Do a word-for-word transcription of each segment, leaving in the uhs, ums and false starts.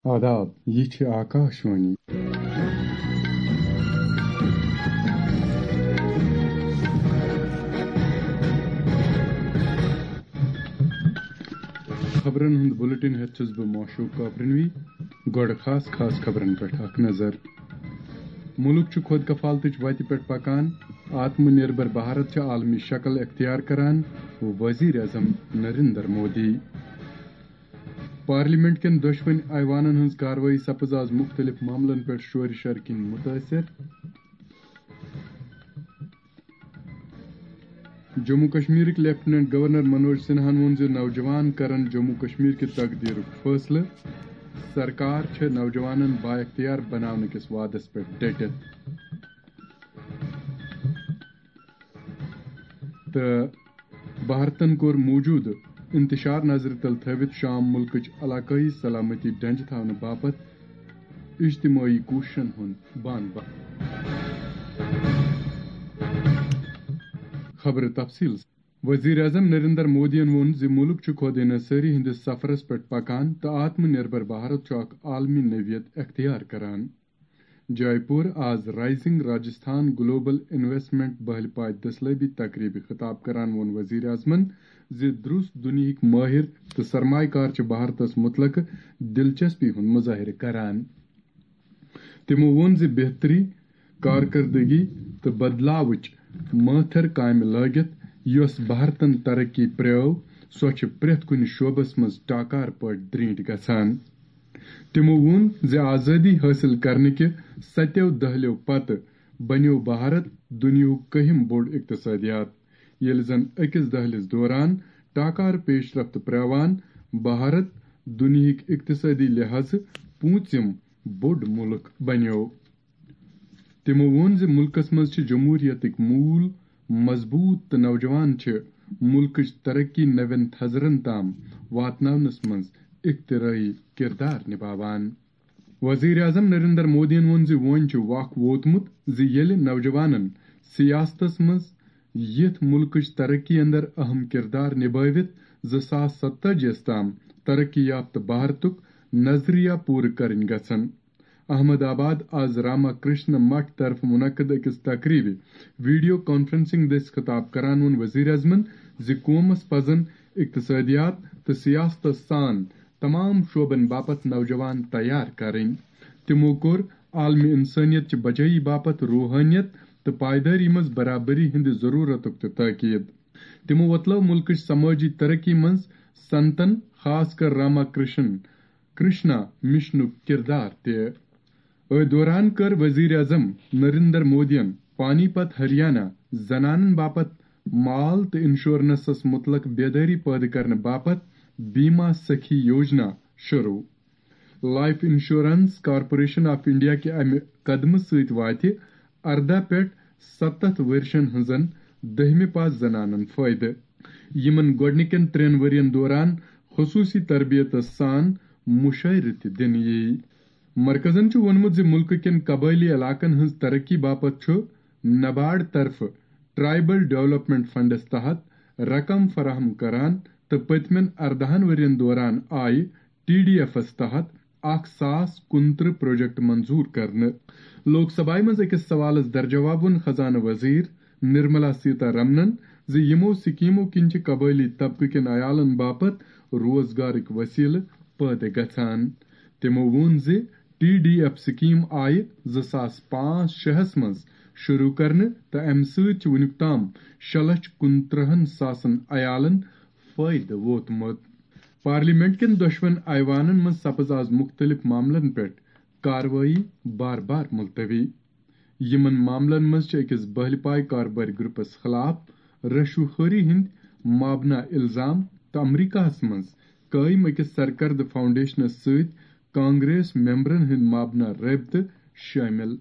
آداب، یہِ چھِ آکاشوانی۔ خبرن ہُنٛد بُلٹن ہٮ۪تھ چھُس بہٕ معشوق کاپرنوی۔ گۄڈٕ خاص خاص خبرن پٮ۪ٹھ اکھ نظر۔ مُلک چھُ خۄد کفالتٕچ وتہِ پٮ۪ٹھ پکان، آتم نربھر بھارت چھِ عالمی شکل اختیار کران، وزیر اعظم نریندر مودی۔ پارلیمنٹ کٮ۪ن دۄشوٕنۍ ایوانن ہٕنٛز کاروٲیی سپٕز آز مُختٔلِف معاملن پٮ۪ٹھ شورِ شر کِنۍ مُتٲثِر۔ جموں کشمیرٕکۍ لیفٹیننٹ گورنر منوج سنہاہن ووٚن زِ نوجوان کرن جموں کشمیر کہِ تقدیرُک فٲصلہٕ۔ سرکار چھےٚ نوجوانن بااختیار بناونہٕ کِس وعدس پٮ۪ٹھ ڈٔٹِتھ۔ تہٕ بھارتن کوٚر موٗجوٗدٕ انتشار نظرِ تل تھٲوِتھ شام مُلکٕچ علاقٲیی سلامتی ڈنجہِ تھاونہٕ باپتھ اجتمٲعی کوٗششن ہُنٛد بان بان۔ خبرٕ تفصیل۔ وزیر اعظم نریندر مودیَن ووٚن زِ مُلک چھُ خود انحصٲری ہٕنٛدِس سفرس پٮ۪ٹھ پکان تہٕ آتم نربھر بھارت چھُ اکھ عالمی نوعیت اختیار کران۔ جے پور، آز رائزنگ راجستھان گلوبل انویسٹمنٹ بہلہِ پاے دٔسلٲبی تقریبہِ خطاب کران ووٚن وزیر اعظمن زِ درست دُنیہٕکۍ مٲہر تہٕ سرمایہ کار چھِ بھارتس متعلق دلچسپی ہُنٛد مظٲہرٕ کران۔ تِمو ووٚن زِ بہتری، کارکردگی تہٕ بدلاوٕچ مٲتھر کامہِ لٲگِتھ، یۄس بھارتن ترقی پرٛٲو، سۄ چھِ پرٛٮ۪تھ کُنہِ شعبس منٛز ٹاکار پٲٹھۍ درینٹھ گژھان۔ تِمو ووٚن زِ آزٲدی حٲصِل کرنہٕ کہِ ستیو دٔہلیو پتہٕ بنیو بھارت دُنیاہُک کٔہِم بوٚڑ اقتصادیات، ییٚلہِ زن أکِس دٔہلِس دوران ٹاکار پیش رفت پرٛاوان بھارت دُنیہٕکۍ اقتصٲدی لحاظہٕ پوٗنٛژِم بوٚڑ مُلک بنیو۔ تِمو ووٚن زِ مُلکس منٛز چھِ جمہوٗرِیتٕکۍ موٗل مضبوٗط تہٕ نوجوان چھِ مُلکٕچ ترقی نوٮ۪ن تھزرن تام واتناونس منٛز اختراعی کردار نباوان۔ وزیر اعظم نریندر مودیَن ووٚن زِ وۄنۍ چھُ وق ووتمُت زِ ییٚلہِ نوجوانن سیاستس منٛز یِتھ مُلکٕچ ترقی اندر اہم کردار نبٲوِتھ زٕ ساس ستتٲجی یَس تام ترقی یافتہٕ بھارتُک نظریہ پوٗرٕ کرٕنۍ گژھن۔ احمد آباد، آز راما کرشنا مٹھ طرفہٕ منعقد أکِس تقریبہِ ویڈیو کانفرنسنگ دٔسۍ خطاب کران ووٚن وزیر اعظمن زِ قومس پزن اقتصادیات تہٕ سیاستس سان تمام شعبن باپتھ نوجوان تیار کرٕنۍ۔ تِمو کوٚر عالمی انسٲنیت چہِ بچٲیی باپتھ روحٲنیت تہٕ پائیدٲری منٛز برابری ہٕنٛدِ ضرورتُک تہِ تاکید۔ تِمو وۄتلٲو مُلکٕچ سمٲجی ترقی منٛز سنتن، خاص کر راما کرشن کرشنا مشنُک کردار تہِ۔ أتھۍ دوران کٔر وزیر اعظم نریندر مودیَن پانی پت ہریانہ زنانن باپتھ مال تہٕ انشورنسس متعلق بیدٲری پٲدٕ کرنہٕ باپتھ بیما سخی یوجنا شروع۔ Life insurance corporation of India کہِ امہِ قدمہٕ سۭتۍ واتہِ ارداہ پٮ۪ٹھ ستتھ ؤرشن ہٕنزن دٔہمہِ پاس زنانن فٲیدٕ، یِمن گۄڈٕنِکٮ۪ن ترٛٮ۪ن ؤرین دوران خصوٗصی تربیتس سان مُشٲعرٕ تہِ دِنہٕ یِیہِ۔ مرکزن چھُ ووٚنمُت زِ مُلکہٕ کٮ۪ن قبٲئلی علاقن ہٕنٛز ترقی باپتھ چھُ نبارڈ طرفہٕ ٹرائبل ڈیولپمنٹ فنڈس تحت رقم فراہم کران تہٕ پٔتمٮ۪ن ارداہن ؤرین دوران آیہِ ٹی ڈی ایفس تحت اکھ ساس کُنترٕہ پروجیکٹ منظور کرنہٕ۔ لوک سبھایہ منٛز أکِس سوالس درجواب ووٚن خزانہٕ وزیر نرملا سیتا رمنن زِ یِمو سکیمو کِنۍ چھِ قبٲئلی طبقہٕ کٮ۪ن عیالن باپتھ روزگارٕکۍ وسیلہٕ پٲدٕ گژھان۔ تِمو ووٚن زِ ٹی ڈی ایف سکیٖم آیہِ زٕ ساس پانٛژھ شےٚ ہَس منٛز شروٗع کرنہٕ تہٕ اَمہِ سۭتۍ چھِ وُنیُک تام شےٚ لچھ کُنترٕہن ساسن عیالن فٲیدٕ ووتمُت۔ پارلیمنٹ کٮ۪ن دۄشوَن ایوانن منٛز سپٕز آز مُختٔلِف معاملن پٮ۪ٹھ کاروٲیی بار بار ملتوی۔ یِمن معاملن منٛز چھِ أکِس بہلہِ پاے کاربٲرۍ گروپس خلاف رشوٕ خوری ہٕنٛدۍ مابنا الزام تہٕ امریکہس منٛز قٲیِم أکِس سرکردٕ فاؤنڈیشنس سۭتۍ کانگریس ممبرن ہٕنٛدۍ مابنا رٲبطہٕ شٲمِل۔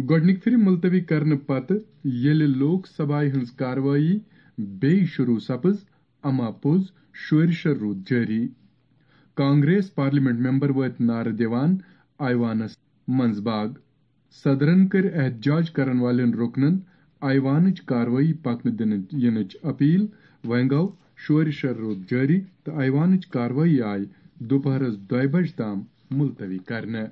گۄڈٕنِکہِ پھِرِ ملتوی کرنہٕ پتہٕ ییٚلہِ لوک سبھایہ ہٕنٛز کاروٲیی بیٚیہِ شروٗع سپٕز، اما پوٚز شورِ شر روٗد جٲری۔ کانگریس پارلیمنٹ ممبر وٲتۍ نعرٕ دِوان ایوانس منٛز باگ۔ صدرن کٔرۍ احتجاج کرن والٮ۪ن رُکنن ایوانٕچ کاروٲیی پکنہٕ دِنہٕ یِنٕچ اپیل۔ وۄنۍ گوٚو شورِ شر روٗد جٲری تہٕ ایوانٕچ کاروٲیی آیہِ دُپہرس دۄیہِ بجہِ تام ملتوی کرنہٕ۔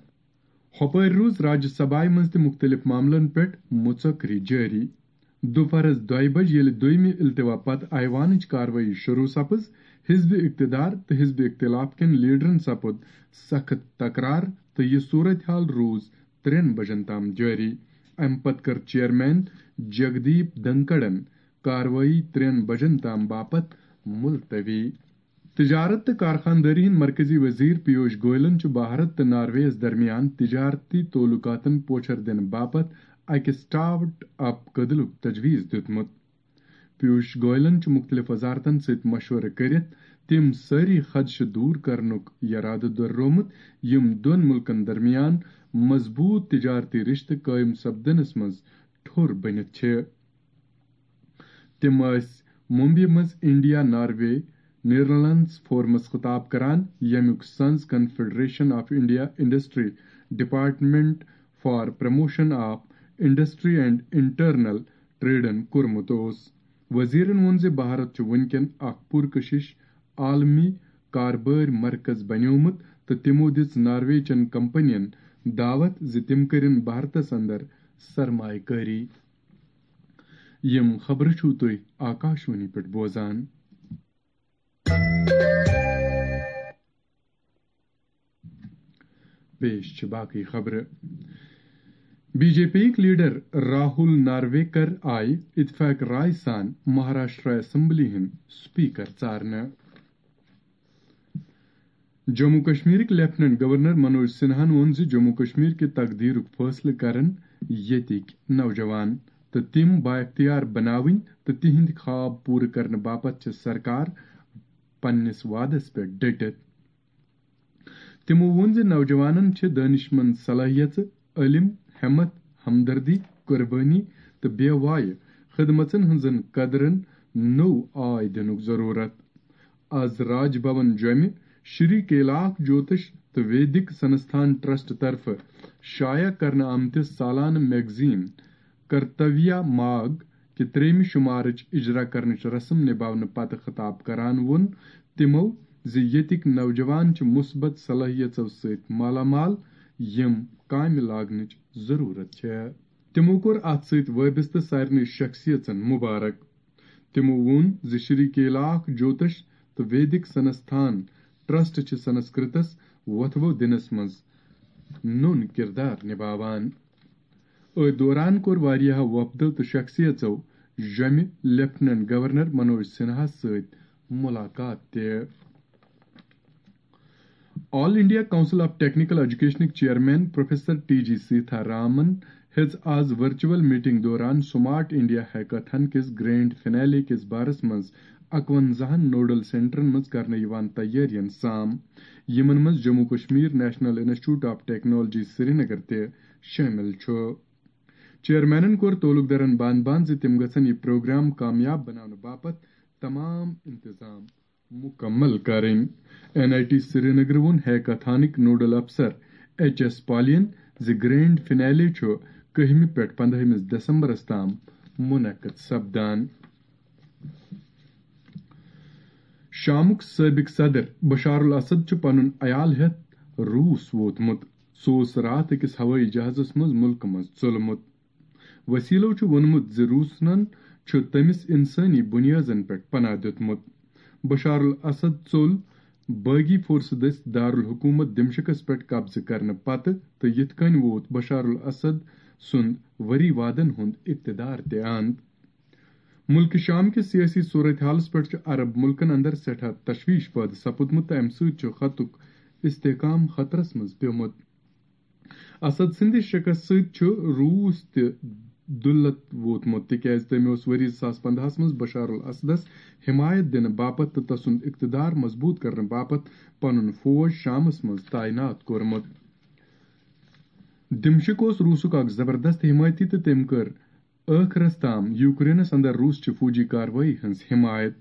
ہۄپٲرۍ روٗز راجیہ سبھایہ منٛز تہِ مُختٔلِف معاملن پٮ۪ٹھ مُژکری جٲری۔ دُپہرس دۄیہِ بجہِ ییٚلہِ دوٚیمہِ التوا پتہٕ ایوانٕچ کاروٲیی شروٗع سپٕز، حزب اقتدار تہٕ حزب اختلاف کٮ۪ن لیڈرن سپُد سخت تکرار تہٕ یہِ صورتحال روٗز ترٛٮ۪ن بجن تام جٲری۔ امہِ پتہٕ کٔر چیئرمین جگدیپ دھنکڑن کاروٲیی ترٛٮ۪ن بجن تام باپتھ ملتوی۔ تجارت تہٕ کارخاندٲری ہٕنٛدۍ مرکزی وزیر پیوش گوئلن چھُ بھارت تہٕ ناروے یَس درمیان تجارتی تعلقاتن پوچھر دِنہٕ باپتھ اکہِ سٹارٹ اپ کدلُک تجویز دیُتمُت۔ پیوش گوئلن چھُ مُختٔلِف وزارتن سۭتۍ مشورٕ کٔرِتھ تِم سٲری خدشہٕ دوٗر کرنُک یرادٕ دۄہرومُت، یِم دۄن مُلکن درمیان مضبوٗط تجارتی رشتہٕ قٲیِم سپدنس منٛز ٹھوٚر بٔنِتھ چھِ۔ تِم ٲسۍ ممبئی منٛز انڈیا ناروے نیدرلینڈز فورمس خطاب کران، ییٚمیُک سنز confederation of India industry department for promotion of industry and internal ٹریڈن کوٚرمُت اوس۔ وزیرن ووٚن زِ بھارت چھُ وُنکٮ۪ن اکھ پُرکشش عالمی کاربٲرۍ مرکز بنیومُت تہٕ تِمو دِژ ناروے چٮ۪ن کمپنین دعوت زِ تِم کٔرِن بھارتس اندر سرمایہ کٲری۔ یِم خبرٕ چھِو تُہۍ آکاشوانی پٮ۪ٹھ بوزان۔ پیش چھِ باقٕے خبرٕ۔ بی جے پی یِک لیڈر راہول نارویکر آیہِ اتفاق رائے سان مہاراشٹرا اسمبلی ہٕنٛدۍ سپیکر ژارنہٕ۔ جموں کشمیرٕکۍ لیفٹیننٹ گورنر منوج سنہاہن ووٚن زِ جموں کشمیر کہِ تقدیرُک فٲصلہٕ کرن ییٚتِکۍ نوجوان تہٕ تِم بااختیار بناوٕنۍ تہٕ تِہنٛدۍ خواب پوٗرٕ کرنہٕ باپتھ چھِ سرکار پننِس وعدس پٮ۪ٹھ ڈٔٹِتھ۔ تِمو ووٚن زِ نوجوانن چھِ دٲنشمند صلٲحیژٕ، علم، ہمت، ہمدردی، قربٲنی تہٕ بے وایہِ خدمژن ہٕنٛزن قدرن نوٚو آے دِنُک ضروٗرت۔ از راج بھون جوٚمہِ شری کیلاک جوتش تہٕ ویدک سنستھان ٹرسٹ طرفہٕ شایع کرنہٕ آمتِس سالانہٕ میگزین کرتویہ ماگ کہِ ترٛیٚیمہِ شمارٕچ اجرا کرنٕچ رسم نباونہٕ پتہٕ خطاب کران ووٚن تِمو زِ ییٚتِکۍ نوجوان چھِ مثبت صلٲحیژو سۭتۍ مالا مال، یِم کامہِ لاگنٕچ ضروٗرت چھےٚ۔ تِمو کوٚر اتھ سۭتۍ وٲبستہٕ سارنٕے شخصیژن مبارک۔ تِمو ووٚن زِ شری کیلاک جوتش تہٕ ویدک سنستھان ٹرسٹ چھِ سنسکرتس وۄتھوٕ دِنس منٛز نوٚن کردار نباوان۔ أتھۍ دوران کوٚر واریاہو وفدو تہٕ شخصیژو جوٚمہِ لیفٹیننٹ گورنر منوج سنہاہس سۭتۍ ملاقات تہِ۔ All India council of technical ایجوکیشنٕکۍ chairman professor T G Seetha Raman ہیٚژ آز ورچوئل میٹنگ دوران سمارٹ انڈیا ہیکاتھان کِس گرینڈ فنالے کِس بارس منٛز اکونزاہن نوڈل سینٹرن منٛز کرنہٕ یِوان تیٲرین سام، یِمن منٛز Jammu Kashmir national institute of technology Srinagar تہِ شٲمِل چھُ۔ چیئرمینن کوٚر تعلق دارن بان بان زِ تِم گژھن یہِ پروگرام کامیاب بناونہٕ باپتھ تمام انتظام مکمل کرٕنۍ۔ این آئی ٹی سرینگر ووٚن ہیکاتھانٕکۍ نوڈل افسر ایچ ایس پالین زِ گرینڈ فنالے چھُ کٔہمہِ پٮ۪ٹھ پندہمِس دسمبرس تام منعقد سپدان۔ شامُک سٲبق صدر بشار الاسد چھُ پنُن عیال ہٮ۪تھ روٗس ووتمُت۔ سُہ اوس راتھ أکِس ہوٲیی جہازس منٛز مُلکہٕ منٛز ژوٚلمُت۔ وسیلو چھُ ووٚنمُت زِ روٗسنن چھُ تٔمِس انسٲنی بُنیٲزن پٮ۪ٹھ پناہ دیُتمُت۔ بشار الاسد ژوٚل باغی فورسہٕ دٔسۍ دارالحکومت دمشقس پٮ۪ٹھ قبضہٕ کرنہٕ پتہٕ تہٕ یِتھ کٔنۍ ووت بشار الاسد سُنٛد ؤری وادن ہُنٛد اقتدار تہِ اند۔ مُلکہِ شام کِس سیٲسی صورتحالس پٮ۪ٹھ چھُ عرب مُلکن اندر سٮ۪ٹھاہ تشویش پٲدٕ سپُدمُت تہٕ امہِ سۭتۍ چھُ خطُک استحکام خطرس منٛز پیومُت۔ اسد سٕنٛدِ شکست سۭتۍ چھُ روٗس تہِ دُلت ووتمُت، تِکیازِ تٔمۍ اوس ؤری زٕ ساس پندہَس منٛز بشار الاسدس حمایت دِنہٕ باپتھ تہٕ تسُنٛد اقتدار مضبوٗط کرنہٕ باپتھ پنُن فوج شامس منٛز تعینات کوٚرمُت۔ دمشق اوس روٗسُک اکھ زبردست حمایتی تہٕ تٔمۍ کٔر ٲخرس تام یوکرینس اندر روٗسچہِ فوجی کاروٲیی ہٕنٛز حمایت۔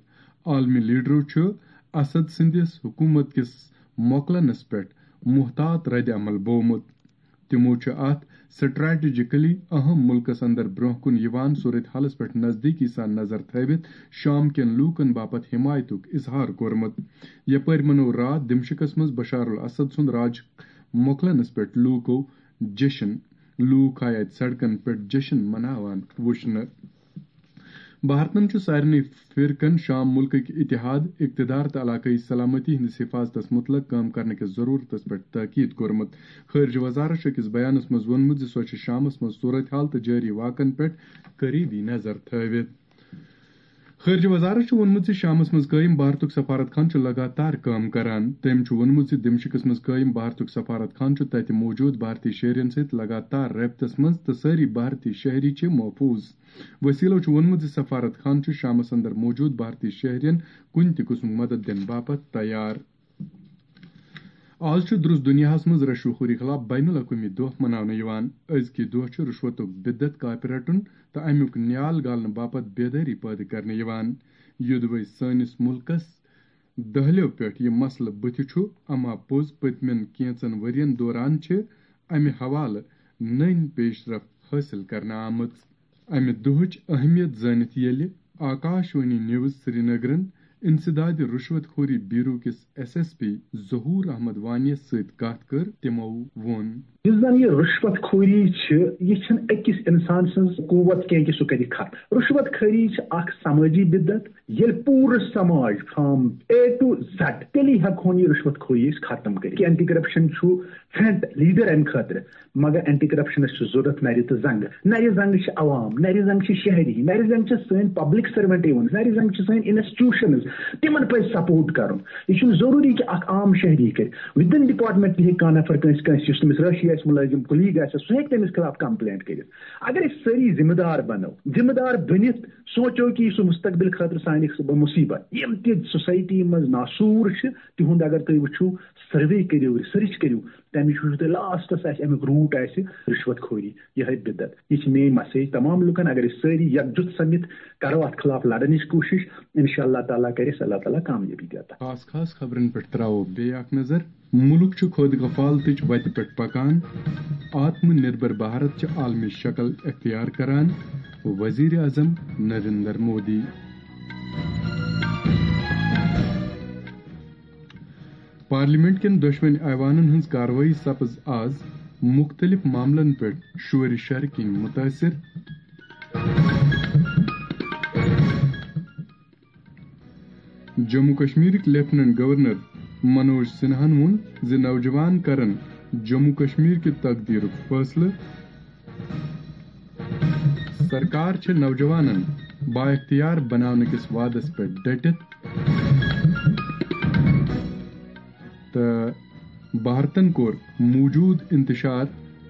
عالمی لیڈرو چھُ اسد سٕنٛدِس حکومت کِس مۄکلنس پٮ۪ٹھ محتاط رد عمل بوومُت۔ تِمو چھُ اتھ سٹریٹجیکلی اہم مُلکس اندر برونٛہہ کُن یِوان صورت حالس پٮ۪ٹھ نزدیٖکی سان نظر تھٲوِتھ شام کٮ۪ن لوٗکن باپتھ حمایتُک اظہار کوٚرمُت۔ یپٲرۍ منوو راتھ دمشقس منٛز بشار الاسد سُنٛد راج مۄکلنس پٮ۪ٹھ لوٗکو جشن۔ لوٗکھ آیہِ اتہِ سڑکن پٮ۪ٹھ جشن مناوان وُچھنہٕ۔ بھارتن چھُ سارنٕے فرقن شام مُلکٕکۍ اتحاد، اقتدار تہٕ علاقٲیی سلامتی ہٕنٛدِس حفاظتس مُتعلق کٲم کرنہٕ کِس ضروٗرتس پٮ۪ٹھ تاکید کوٚرمُت۔ خارجہ وزارت چھُ أکِس بیانس منٛز ووٚنمُت زِ سۄ چھِ شامس منٛز صورتحال تہٕ جٲری واقعن پٮ۪ٹھ قریبی نظر تھٲوِتھ۔ خارجہ وزارت چھُ ووٚنمُت زِ شامس منٛز قٲیِم بھارتُک سفارت خانہٕ چھُ لگاتار کٲم کران۔ تٔمۍ چھُ ووٚنمُت زِ دمشقس منٛز قٲیِم بھارتُک سفارت خانہٕ چھُ تَتہِ موجود بھارتی شہرین سۭتۍ لگاتار رٲبطس منٛز تہٕ سٲری بھارتی شہری چھِ محفوظ۔ وسیلو چھُ ووٚنمُت زِ سفارت خانہٕ چھُ شامس اندر موجود بھارتی شہرین کُنہِ تہِ قٕسمُک مدد دِنہٕ باپتھ تیار۔ آز چھُ درست دُنیاہَس منٛز رشوٕ خوری خلاف بین الاقوٲمی دۄہ مناونہٕ یِوان۔ أزکہِ دۄہ چھُ رشوتُک بدعت کاپہِ رٹُن تہٕ امیُک نیال گالنہٕ باپتھ بیدٲری پٲدٕ کرنہٕ یِوان۔ یوٚدوے سٲنِس مُلکَس دٔہلٮ۪و پٮ۪ٹھ یہِ مسلہٕ بُتھِ چھُ، اما پوٚز پٔتمٮ۪ن کینٛژن ؤرین دوران چھِ امہِ حوالہٕ نٔنۍ پیشرفت حٲصِل کرنہٕ آمٕژ۔ امہِ دۄہٕچ اہمیت زٲنِتھ ییٚلہِ آکاشوانی نیوز سرینگرن انسداد رشوت خوری بیورو کِس ایس ایس پی ظہور احمد وانیَس سۭتۍ کتھ کٔر، تِمو ووٚن۔ یُس زن یہِ رشوت خوری چھِ، یہِ چھِنہٕ أکِس انسان سٕنٛز قوت کینٛہہ کہِ سُہ کرِ ختم۔ رشوت خوری چھِ اکھ سمٲجی بدعت۔ ییٚلہِ پوٗرٕ سماج from A to Z، تیٚلی ہٮ۪کہون یہِ رشوت خوری أسۍ ختم کٔرِتھ۔ اینٹی کرپشن چھُ فرنٹ لیڈر امہِ خٲطرٕ، مگر اینٹی کرپشنس چھِ ضروٗرت نرِ تہٕ زنٛگہٕ۔ نرِ زنٛگہٕ چھِ عوام، نرِ زنٛگہٕ چھِ شہری، نرِ زنٛگہٕ چھِ سٲنۍ پبلک سروینٹ یِوان، نرِ زنٛگہٕ چھِ سٲنۍ انسٹیٹیوشنز، تِمن پزِ سپورٹ کرُن۔ یہِ چھُنہٕ ضروٗری کہِ اکھ عام شہری کرِ، within department تہِ ہیٚکہِ کانٛہہ نفر کٲنٛسہِ، کٲنٛسہِ، یُس تٔمِس رٲشی آسہِ، مُلٲزِم کلیٖگ آسہِ، سُہ ہیٚکہِ تٔمِس خلاف کمپلینٹ کٔرِتھ۔ اگر أسۍ سٲری ذمہٕ دار بنو، ذمہٕ دار بٔنِتھ سونٛچو کہِ یہِ چھُ مستقبل خٲطرٕ سانہِ خٲطرٕ مُصیبت۔ یِم تہِ سوسایٹی منٛز ناسوٗر چھِ، تِہُنٛد اگر تُہۍ وٕچھِو، سروے کٔرِو، ریسرچ کٔرِو، تَمہِ وٕچھِو تُہۍ لاسٹَس آسہِ اَمیُک روٗٹ آسہِ رِشوت خوری، یِہوٚے بدعت۔ یہِ چھِ میٛٲنۍ مسیج تمام لُکَن، اگر أسۍ سٲری یکجُت سٔمِتھ کرو اَتھ خلاف لڑنٕچ کوٗشِش، انشاءاللہ تعالیٰ کرِ اَسہِ اللہ تعالیٰ کامیٲبی تہِ عطا۔ خاص خاص خبرن پٮ۪ٹھ ترٛاوو بیٚیہِ اکھ نظر۔ مُلُک چھُ خۄد کفالتٕچ وتہِ پٮ۪ٹھ پکان۔ آتم نربھر بھارت چھِ عالمی شکل اختیار کران، وزیر اعظم نریندر مودی۔ پارلیمنٹ کٮ۪ن دۄشوٕنۍ ایوانن ہٕنٛز کاروٲیی سپٕز آز مُختٔلِف معاملن پٮ۪ٹھ شورِ شرٕ کِنۍ مُتٲثِر۔ جموں کشمیرٕکۍ لیفٹیننٹ گورنر منوج سنہاہن ووٚن زِ نوجوان کرن جموں کشمیر کہِ تقدیرُک فٲصلہٕ۔ سرکار چھِ نوجوانن بااختیار بناونہٕ کِس وعدس پٮ۪ٹھ ڈٔٹِتھ تہٕ بھارتن کوٚر موجود انتشار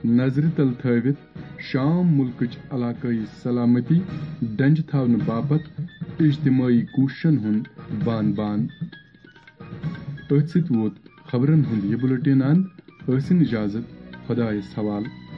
نظرِ تل تھٲوِتھ شام مُلکٕچ علاقٲیی سلامتی ڈنجہِ تھاونہٕ باپتھ اجتماعی کوٗششن ہُنٛد بان بان۔ أتھۍ سۭتۍ ووت خبرن ہُنٛد یہِ بُلٹن اند۔ ٲسِن اجازت، خۄدایس حوالہٕ۔